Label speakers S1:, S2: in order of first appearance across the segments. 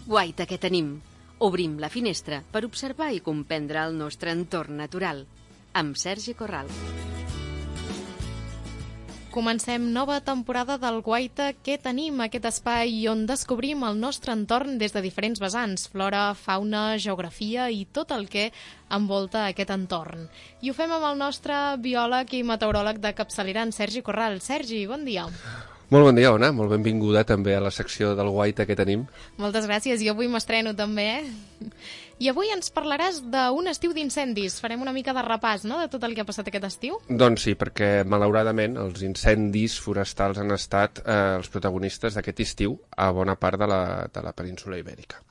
S1: Guaita que tenim. Obrim la finestra per observar i comprendre el nostre entorn natural. Amb Sergi Corral.
S2: Comencem nova temporada del Guaita que tenim, aquest espai on descobrim el nostre entorn des de diferents vessants, flora, fauna, geografia i tot el que envolta aquest entorn. I ho fem amb el nostre biòleg i meteoròleg de capçalera, en Sergi Corral. Sergi, bon dia.
S3: Molt bon dia, Ona. Molt benvinguda també a la secció del Guaita que tenim.
S2: Moltes gràcies. Jo avui m'estreno també, I avui ens parlaràs d'un estiu d'incendis. Farem una mica de repàs, no?, de tot el que ha passat aquest estiu.
S3: Doncs sí, perquè malauradament els incendis forestals han estat els protagonistes d'aquest estiu a bona part de la península Ibèrica.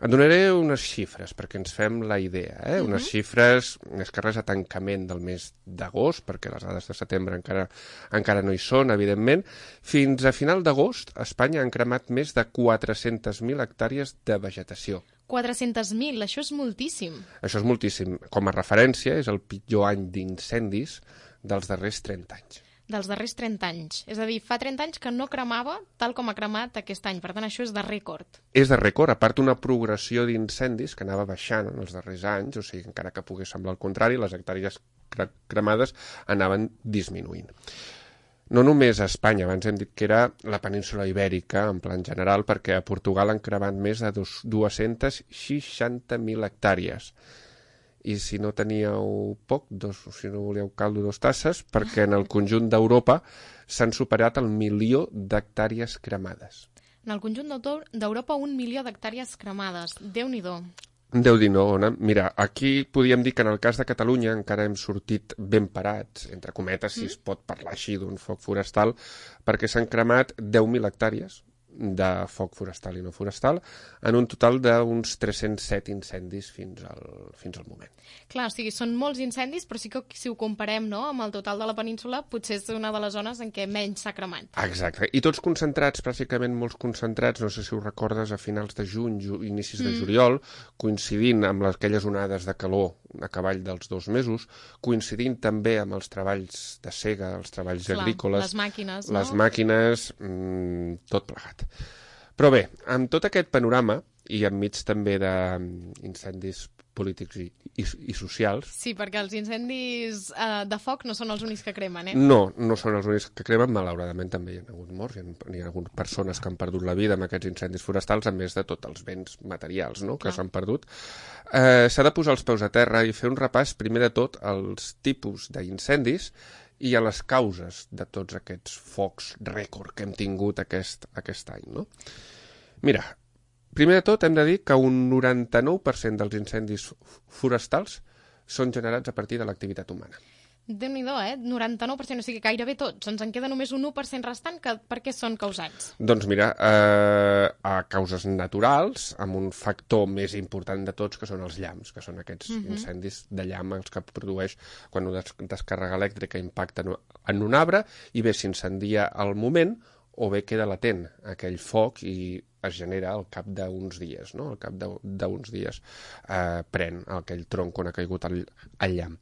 S3: Et donaré unes xifres perquè ens fem la idea, unes xifres més que res a tancament del mes d'agost, perquè les dades de setembre encara no hi són, evidentment. Fins a final d'agost, Espanya han cremat més de 400.000 hectàrees de vegetació.
S2: 400.000, això és moltíssim.
S3: Això és moltíssim. Com a referència, és el pitjor any d'incendis dels darrers 30 anys.
S2: Dels darrers 30 anys. És a dir, fa 30 anys que no cremava tal com ha cremat aquest any. Per tant, això és de rècord.
S3: És de rècord, a part una progressió d'incendis que anava baixant en els darrers anys, o sigui, encara que pogués semblar el contrari, les hectàrees cremades anaven disminuint. No només a Espanya, abans hem dit que era la península Ibèrica, en plan general, perquè a Portugal han cremat més de 260.000 hectàrees. I si no teníeu poc, si no volíeu caldo, 2 tasses, perquè en el conjunt d'Europa s'han superat el 1.000.000 d'hectàrees cremades.
S2: En el conjunt d'Europa, 1.000.000 d'hectàrees cremades. Déu-n'hi-do.
S3: Déu-n'hi-do, Ona. Mira, aquí podíem dir que en el cas de Catalunya encara hem sortit ben parats, entre cometes, si es pot parlar així d'un foc forestal, perquè s'han cremat 10.000 hectàrees de foc forestal i no forestal, en un total d'uns 307 incendis fins al moment.
S2: Clar, o sigui, són molts incendis, però sí que si ho comparem, no?, amb el total de la península, potser és una de les zones en què menys s'ha cremat.
S3: Exacte, i tots concentrats, pràcticament molts concentrats, no sé si ho recordes, a finals de juny, inicis de juliol, coincidint amb aquelles onades de calor a cavall dels 2 mesos, coincidint també amb els treballs de sega, els treballs agrícoles,
S2: les màquines,
S3: no? Les màquines, tot plegat. Però bé, amb tot aquest panorama, i enmig també d'incendis polítics i socials...
S2: Sí, perquè els incendis de foc no són els únics que cremen,
S3: No són els únics que cremen, malauradament també hi ha hagut morts, hi ha hagut persones que han perdut la vida amb aquests incendis forestals, a més de tots els béns materials, no?, que s'han perdut. S'ha de posar els peus a terra i fer un repàs, primer de tot, als tipus d'incendis i a les causes de tots aquests focs rècord que hem tingut aquest any, no? Mira, primer de tot hem de dir que un 99% dels incendis forestals són generats a partir de l'activitat humana.
S2: Déu-n'hi-do, 99%, o sigui, gairebé tots. Ens en queda només un 1% restant, que per què són causats?
S3: Doncs mira, a causes naturals, amb un factor més important de tots, que són els llamps, que són aquests incendis de llamp, els que produeix quan una descàrrega elèctrica impacta en un arbre, i bé s'incendia al moment, o bé queda latent aquell foc i es genera al cap d'uns dies, no? Al cap d'uns dies pren aquell tronc on ha caigut el llamp.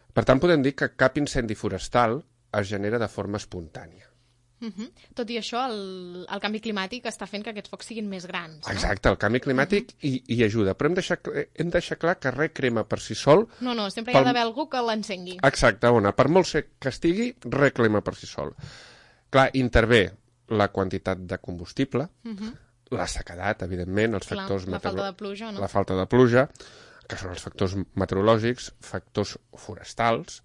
S3: Per tant, podem dir que cap incendi forestal es genera de forma espontània.
S2: Tot i això, el canvi climàtic està fent que aquests focs siguin més grans, no?
S3: Exacte, el canvi climàtic hi ajuda, però hem de deixar clar que res crema per si sol...
S2: No, sempre hi ha d'haver algú que l'encengui.
S3: Exacte, Ona, per molt sec que estigui, res crema per si sol. Clar, intervé la quantitat de combustible, la sequedat, evidentment, els factors...
S2: la falta de pluja, no?
S3: La falta de pluja, que són els factors meteorològics, factors forestals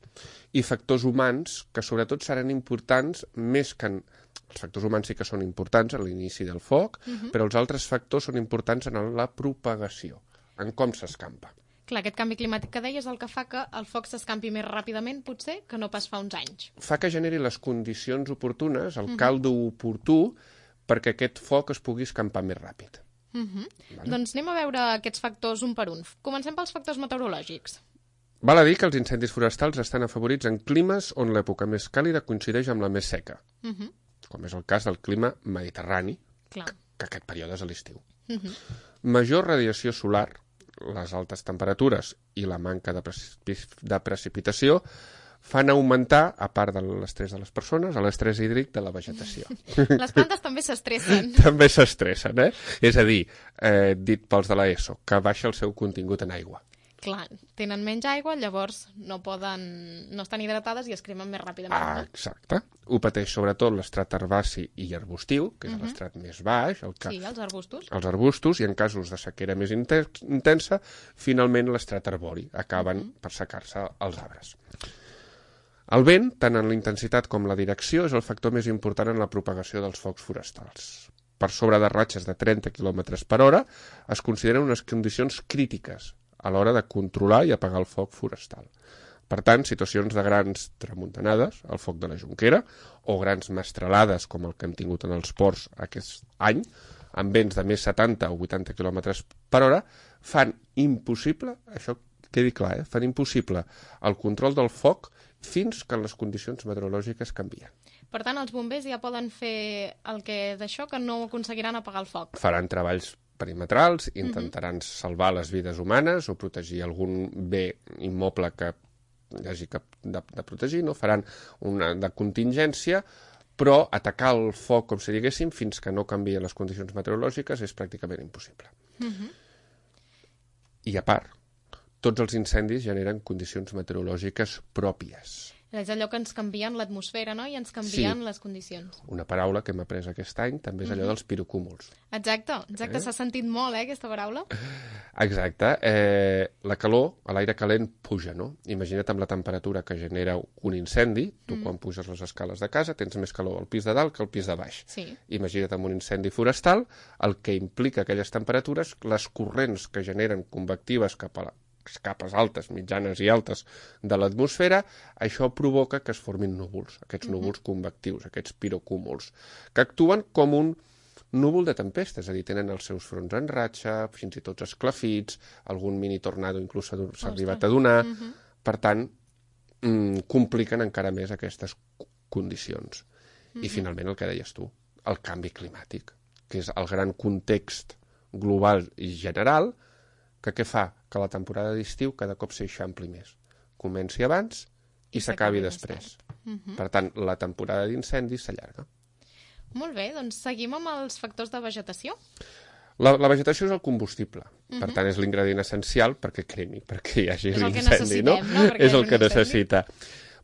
S3: i factors humans, que sobretot seran importants més que... Els factors humans sí que són importants a l'inici del foc, però els altres factors són importants en la propagació, en com s'escampa.
S2: Clar, aquest canvi climàtic que deies el que fa que el foc s'escampi més ràpidament, potser, que no pas fa uns anys.
S3: Fa que generi les condicions oportunes, el caldo oportú, perquè aquest foc es pugui escampar més ràpid.
S2: Vale. Doncs anem a veure aquests factors un per un. Comencem pels factors meteorològics.
S3: Val a dir que els incendis forestals estan afavorits en climes on l'època més càlida coincideix amb la més seca, com és el cas del clima mediterrani, que aquest període és a l'estiu. Major radiació solar, les altes temperatures i la manca de precipitació fan augmentar, a part de l'estrès de les persones, l'estrès hídric de la vegetació.
S2: Les plantes també s'estressen.
S3: També s'estressen, És a dir, dit pels de l'ESO, que baixa el seu contingut en aigua.
S2: Clar, tenen menys aigua, llavors no estan hidratades i es cremen més ràpidament. No?
S3: Exacte. Ho pateix sobretot l'estrat herbaci i arbustiu, que és l'estrat més baix.
S2: Sí, els arbustos.
S3: Els arbustos, i en casos de sequera més intensa, finalment l'estrat arbori. Acaben per secar-se els arbres. El vent, tant en la intensitat com la direcció, és el factor més important en la propagació dels focs forestals. Per sobre de ratxes de 30 km per hora es consideren unes condicions crítiques a l'hora de controlar i apagar el foc forestal. Per tant, situacions de grans tramuntanades, el foc de la Jonquera, o grans mestralades, com el que hem tingut en els ports aquest any, amb vents de més 70 o 80 km per hora, fan impossible, això quedi clar, fan impossible el control del foc fins que les condicions meteorològiques canvien.
S2: Per tant, els bombers ja poden fer el que d'això, que no aconseguiran apagar el foc.
S3: Faran treballs perimetrals, intentaran salvar les vides humanes o protegir algun bé immoble que hi hagi de protegir, no? Faran una de contingència, però atacar el foc, com si diguéssim, fins que no canvien les condicions meteorològiques és pràcticament impossible. I a part, tots els incendis generen condicions meteorològiques pròpies.
S2: És allò que ens canvien l'atmosfera, no? I ens canvien les condicions.
S3: Una paraula que hem après aquest any també és allò dels pirocúmuls.
S2: Exacte, s'ha sentit molt, aquesta paraula.
S3: Exacte. La calor, l'aire calent puja, no? Imagina't amb la temperatura que genera un incendi, tu quan puges les escales de casa tens més calor al pis de dalt que al pis de baix.
S2: Sí.
S3: Imagina't amb un incendi forestal, el que implica aquelles temperatures, les corrents que generen convectives cap a les capes altes, mitjanes i altes de l'atmosfera, això provoca que es formin núvols, aquests núvols convectius, aquests pirocúmuls, que actuen com un núvol de tempesta, és a dir, tenen els seus fronts en ratxa, fins i tot esclafits, algun mini tornado inclús s'ha arribat a donar, per tant, compliquen encara més aquestes condicions. I finalment el que deies tu, el canvi climàtic, que és el gran context global i general, que què fa? Que la temporada d'estiu cada cop s'eixampli més. Comenci abans i s'acabi després. Per tant, la temporada d'incendis s'allarga.
S2: Molt bé, doncs seguim amb els factors de vegetació.
S3: La vegetació és el combustible. Per tant, és l'ingredient essencial perquè cremi, perquè hi hagi l'incendi, no? És el que necessita.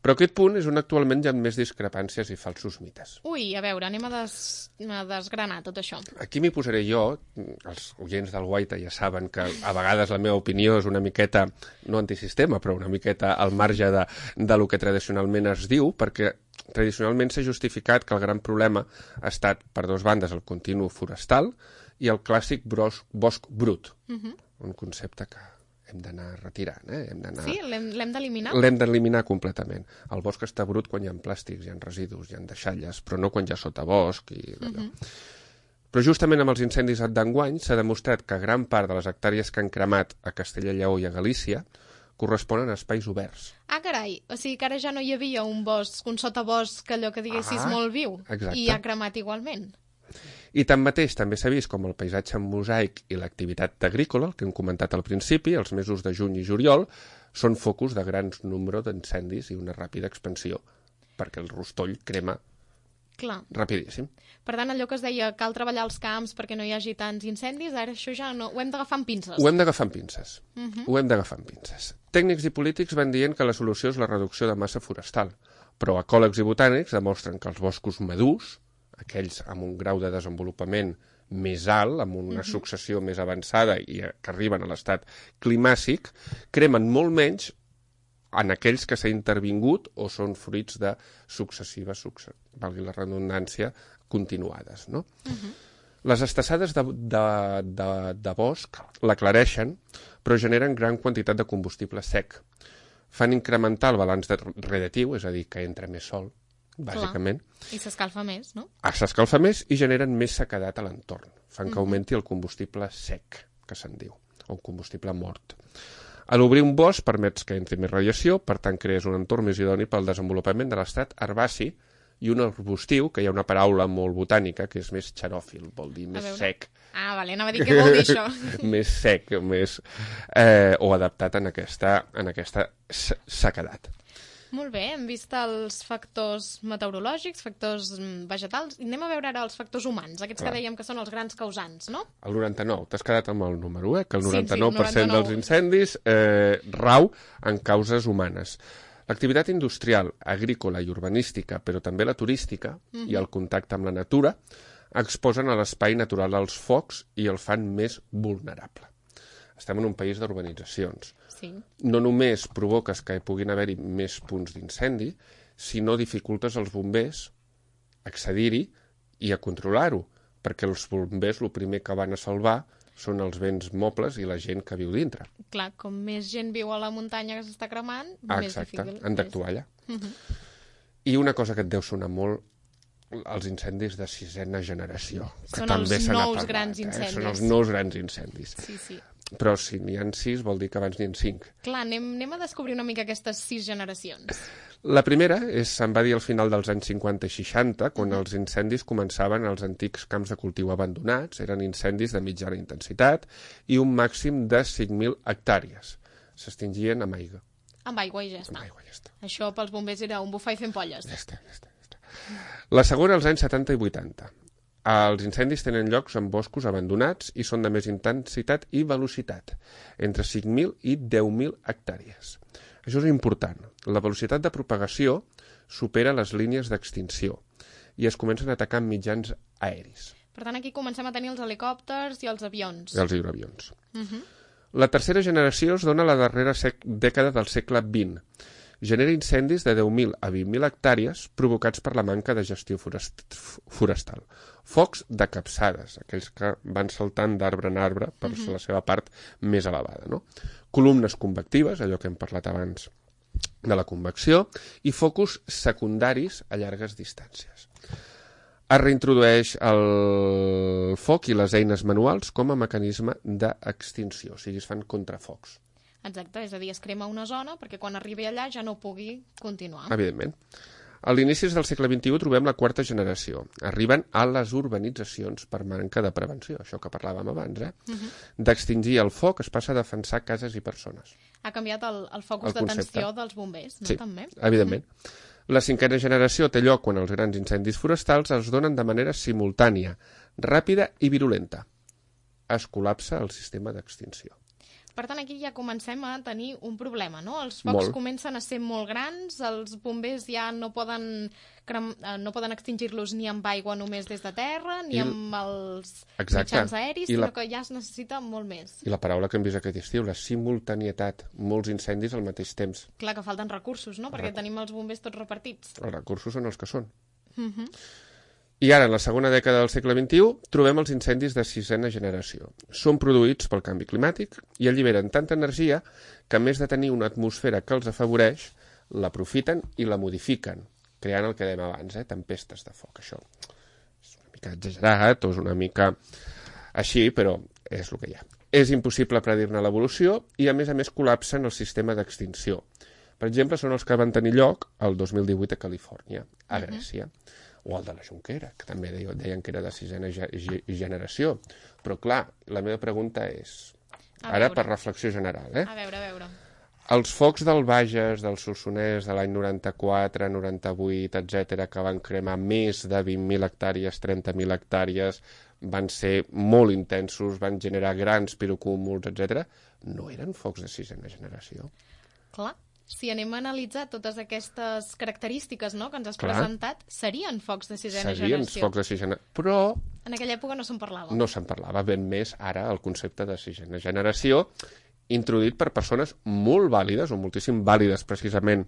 S3: Però aquest punt és on actualment hi ha més discrepàncies i falsos mites.
S2: Ui, a veure, anem a desgranar tot això.
S3: Aquí m'hi posaré jo, els oients del Guaita ja saben que a vegades la meva opinió és una miqueta, no antisistema, però una miqueta al marge de lo que tradicionalment es diu, perquè tradicionalment s'ha justificat que el gran problema ha estat, per dues bandes, el continu forestal i el clàssic bosc brut, un concepte que hem d'anar retirant.
S2: Sí, l'hem d'eliminar?
S3: L'hem d'eliminar completament. El bosc està brut quan hi ha plàstics, hi ha residus, hi ha deixalles, però no quan hi ha sotabosc i d'allò. Però justament amb els incendis d'enguany s'ha demostrat que gran part de les hectàrees que han cremat a Castella i Lleó i a Galícia corresponen a espais oberts.
S2: Ah, carai, o sigui que ara ja no hi havia un bosc, un sotabosc, allò que diguessis molt viu,
S3: exacte.
S2: I ha cremat igualment.
S3: I tanmateix també s'ha vist com el paisatge en mosaic i l'activitat agrícola, el que hem comentat al principi, els mesos de juny i juliol, són focus de grans número d'incendis i una ràpida expansió, perquè el rostoll crema rapidíssim.
S2: Per tant, allò que es deia, cal treballar els camps perquè no hi hagi tants incendis, ara això ja no... Ho hem d'agafar amb pinces.
S3: Ho hem d'agafar amb pinces. Ho hem d'agafar amb pinces. Tècnics i polítics van dient que la solució és la reducció de massa forestal, però ecòlegs i botànics demostren que els boscos madurs, aquells amb un grau de desenvolupament més alt, amb una successió més avançada i que arriben a l'estat climàcic, cremen molt menys en aquells que s'ha intervingut o són fruits de successives, valgui la redundància, continuades. No? Les estassades de bosc l'aclareixen, però generen gran quantitat de combustible sec. Fan incrementar el balanç radiatiu, és a dir, que entra més sol, bàsicament.
S2: I s'escalfa més, no?
S3: S'escalfa més i generen més sequedat a l'entorn. Fan que augmenti el combustible sec, que se'n diu, o combustible mort. A l'obrir un bosc permets que entri més radiació, per tant crees un entorn més idoni pel desenvolupament de l'estat herbaci i un arbustiu, que hi ha una paraula molt botànica, que és més xeròfil, vol dir més sec.
S2: Ah, vale, anava a dir què vol dir això.
S3: Més sec, més o adaptat en aquesta sequedat.
S2: Molt bé, hem vist els factors meteorològics, factors vegetals, i anem a veure ara els factors humans, aquests que dèiem que són els grans causants, no?
S3: El 99, t'has quedat amb el número, que el 99%
S2: Sí, 99.
S3: dels incendis rau en causes humanes. L'activitat industrial, agrícola i urbanística, però també la turística i el contacte amb la natura, exposen a l'espai natural als focs i el fan més vulnerable. Estem en un país d'urbanitzacions.
S2: Sí.
S3: No només provoques que hi puguin haver-hi més punts d'incendi, sinó dificultes als bombers accedir-hi i a controlar-ho, perquè els bombers el primer que van a salvar són els béns mobles i la gent que viu dintre.
S2: Clar, com més gent viu a la muntanya que s'està cremant, més difícil.
S3: Exacte, han d'actuar allà. I una cosa que et deu sonar molt, els incendis de sisena generació. Que
S2: Són
S3: també
S2: els
S3: se n'ha
S2: nous
S3: parlat,
S2: grans incendis.
S3: Són els nous grans incendis.
S2: Sí.
S3: Però si n'hi ha 6 vol dir que abans n'hi ha 5.
S2: Clar, anem a descobrir una mica aquestes 6 generacions.
S3: La primera se'n va dir al final dels anys 50 i 60, quan els incendis començaven als antics camps de cultiu abandonats. Eren incendis de mitjana intensitat i un màxim de 5.000 hectàrees. S'extingien amb aigua.
S2: Amb aigua i ja està.
S3: Amb aigua, ja està.
S2: Això pels bombers era un bufar i fent polles.
S3: Ja està. La segona, als anys 70 i 80. Els incendis tenen llocs en boscos abandonats i són de més intensitat i velocitat, entre 5.000 i 10.000 hectàrees. Això és important. La velocitat de propagació supera les línies d'extinció i es comencen a atacar amb mitjans aeris.
S2: Per tant, aquí comencem a tenir els helicòpters i els avions.
S3: I els hidroavions. La tercera generació es dona a la darrera dècada del segle XX. Genera incendis de 10.000 a 20.000 hectàrees provocats per la manca de gestió forestal. Focs de capçades, aquells que van saltant d'arbre en arbre per la seva part més elevada. No? Columnes convectives, allò que hem parlat abans de la convecció, i focus secundaris a llargues distàncies. Es reintrodueix el foc i les eines manuals com a mecanisme d'extinció, o sigui, es fan contrafocs.
S2: Exacte, és a dir, es crema una zona perquè quan arribi allà ja no pugui continuar.
S3: Evidentment. A l'inici del segle XXI trobem la quarta generació. Arriben a les urbanitzacions per manca de prevenció, això que parlàvem abans. D'extingir el foc es passa a defensar cases i persones.
S2: Ha canviat el focus d'atenció dels bombers, no?
S3: Sí,
S2: També.
S3: Evidentment. La cinquena generació té lloc quan els grans incendis forestals es donen de manera simultània, ràpida i virulenta. Es col·lapsa el sistema d'extinció.
S2: Per tant, aquí ja comencem a tenir un problema, no? Els focs
S3: Molt.
S2: comencen a ser molt grans, els bombers ja no poden extingir-los ni amb aigua només des de terra, ni amb els mitjans aeris, sinó que ja es necessita molt més.
S3: I la paraula que hem vist aquest estiu, la simultanietat, molts incendis al mateix temps.
S2: Clar que falten recursos, no? Perquè tenim els bombers tots repartits.
S3: Els recursos són els que són. I ara, en la segona dècada del segle XXI, trobem els incendis de sisena generació. Són produïts pel canvi climàtic i alliberen tanta energia que, a més de tenir una atmosfera que els afavoreix, l'aprofiten i la modifiquen, creant el que dèiem abans, tempestes de foc. Això és una mica exagerat o és una mica així, però és el que hi ha. És impossible predir-ne l'evolució i, a més, col·lapsen el sistema d'extinció. Per exemple, són els que van tenir lloc el 2018 a Califòrnia, a Grècia. O el de la Jonquera, que també deien que era de sisena generació. Però, clar, la meva pregunta és, ara per reflexió general,
S2: A veure.
S3: Els focs del Bages, del Solsonès, de l'any 94, 98, etc., que van cremar més de 20.000 hectàrees, 30.000 hectàrees, van ser molt intensos, van generar grans pirocúmuls, etc., no eren focs de sisena generació.
S2: Clar. Si anem a analitzar totes aquestes característiques, no, que ens has presentat, serien focs de sisena generació.
S3: Serien focs de sisena, però...
S2: En aquella època no se'n parlava.
S3: No se'n parlava, ben més ara el concepte de sisena generació, introduït per persones molt vàlides, o moltíssim vàlides precisament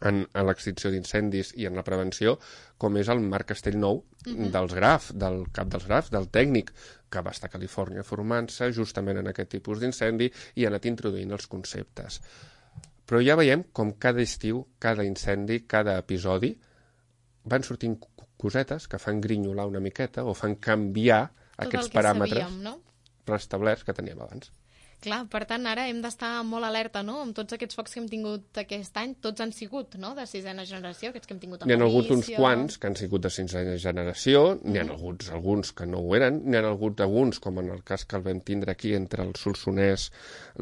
S3: en l'extinció d'incendis i en la prevenció, com és el Marc Castellnou dels Graf, del cap dels Graf, del tècnic, que va estar a Califòrnia formant-se justament en aquest tipus d'incendi i ha anat introduint els conceptes. Però ja veiem com cada estiu, cada incendi, cada episodi, van sortint cosetes que fan grinyolar una miqueta o fan canviar aquests paràmetres preestablerts que teníem abans.
S2: Clar, per tant, ara hem d'estar molt alerta, no?, amb tots aquests focs que hem tingut aquest any. Tots han sigut, no?, de 6a generació, aquests que hem tingut a
S3: N'hi ha hagut uns
S2: Galícia.
S3: quants que han sigut de 6a generació, n'hi ha hagut alguns que no ho eren, n'hi ha hagut alguns, com en el cas que el vam tindre aquí, entre el Solsonès,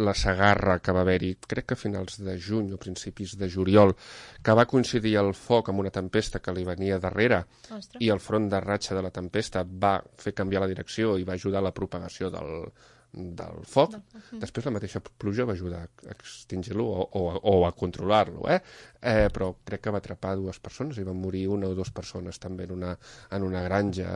S3: la Segarra, que va haver-hi, crec que a finals de juny o principis de juliol, que va coincidir el foc amb una tempesta que li venia darrere,
S2: Ostres.
S3: i el front de ratxa de la tempesta va fer canviar la direcció i va ajudar a la propagació del foc. Després la mateixa pluja va ajudar a extingir-lo o a controlar-lo, però crec que va atrapar 2 persones i van morir 1 o 2 persones també en una granja,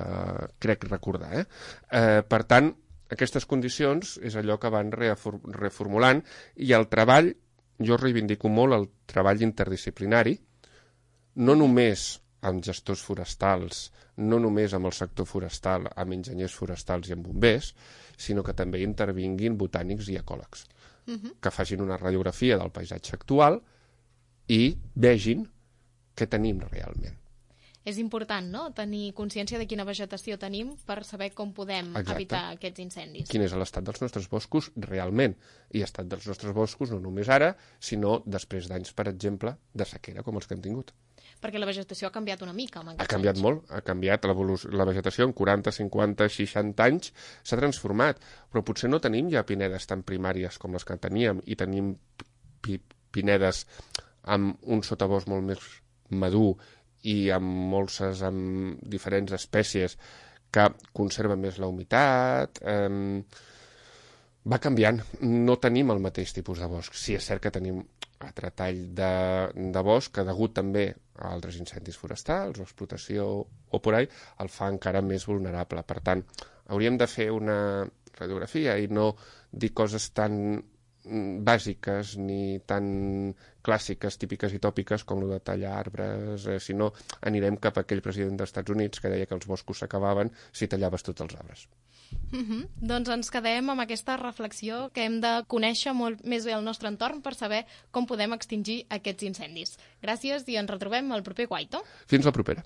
S3: crec recordar. Per tant, aquestes condicions és allò que van reformulant, i el treball, jo reivindico molt el treball interdisciplinari, no només amb gestors forestals, no només amb el sector forestal, amb enginyers forestals i amb bombers, sinó que també intervinguin botànics i ecòlegs, que facin una radiografia del paisatge actual i vegin què tenim realment.
S2: És important, no?, tenir consciència de quina vegetació tenim per saber com podem evitar aquests incendis.
S3: Quin és l'estat dels nostres boscos realment, i l'estat dels nostres boscos no només ara, sinó després d'anys, per exemple, de sequera com els que hem tingut.
S2: Perquè la vegetació ha canviat una mica amb aquests
S3: Ha canviat
S2: anys.
S3: molt, ha canviat la vegetació en 40, 50, 60 anys, s'ha transformat, però potser no tenim ja pinedes tan primàries com les que teníem, i tenim pinedes amb un sotabosc molt més madur i amb diferents espècies que conserven més la humitat. Va canviant, no tenim el mateix tipus de bosc. Sí, és cert que tenim altre tall de bosc que, degut també a altres incendis forestals o explotació o por ahí, el fa encara més vulnerable. Per tant, hauríem de fer una radiografia i no dir coses tan bàsiques ni tan clàssiques, típiques i tòpiques com el de tallar arbres, sinó anirem cap a aquell president dels Estats Units que deia que els boscos s'acabaven si tallaves tots els arbres.
S2: Doncs ens quedem amb aquesta reflexió que hem de conèixer molt més bé el nostre entorn per saber com podem extingir aquests incendis. Gràcies i ens retrobem al proper Guaito.
S3: Fins la propera.